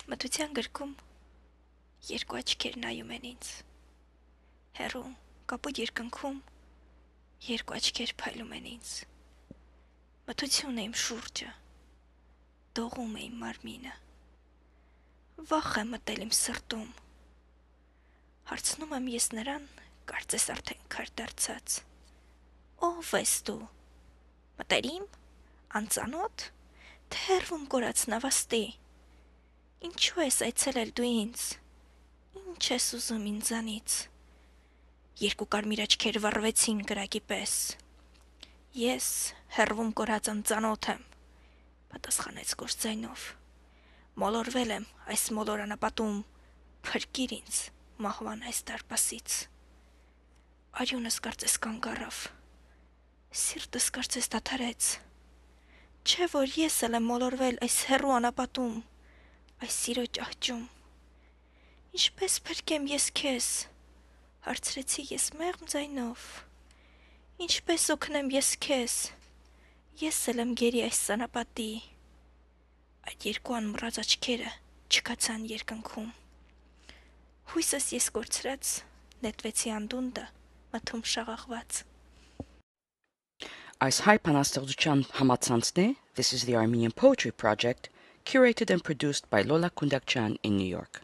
Մթության գրքում երկու աչքեր նայում են ինձ։ Հեռու կապույտ երկնքում երկու աչքեր փայլում են ինձ։ Մթություն է իմ շուրջը, դողում է իմ մարմինը։ Վախ է մտել իմ սրտում։ Հարցնում եմ ես նրան, կարծես արդեն քար դարձած. Ո՞վ ես դու։ Մտերիմ, անծանոթ, թե հեռվում կորած նավաստի։ Ինչու ես այցելել դու ինձ։ Ինչ ես ուզում ինձանից։ Երկու կարմիր աչքեր վառվեցին կրակի պես։ Ես հեռվում կորած անծանոթ եմ, պատասխանեց գործձայնով։ Մոլորվել եմ այս մոլորանապատում, փրկիր ինձ մահվան այս դարպասից։ Արյունս կարծես կանգ առավ, սիրտս կարծես դադարեց։ Չէ՞ որ ես էլ եմ մոլորվել այս հեռու անապատում, այս սիրո ճահճում։ Ինչպես փրկեմ ես քեզ, հարցրեցի ես մեղմ ձայնով։ Ինչպես օգնեմ ես քեզ, ես էլ եմ գերի այս անապատի։ Այդ երկու անմռած աչքերը չքացան երկնքում։ Հույսս ես կորցրած, նետվեցի անդունդը, մթում շաղախված։ Այս հայ բանաստեղծության համացանցն է This is the Armenian Poetry Project, curated and produced by Lola Kundakjian in New York.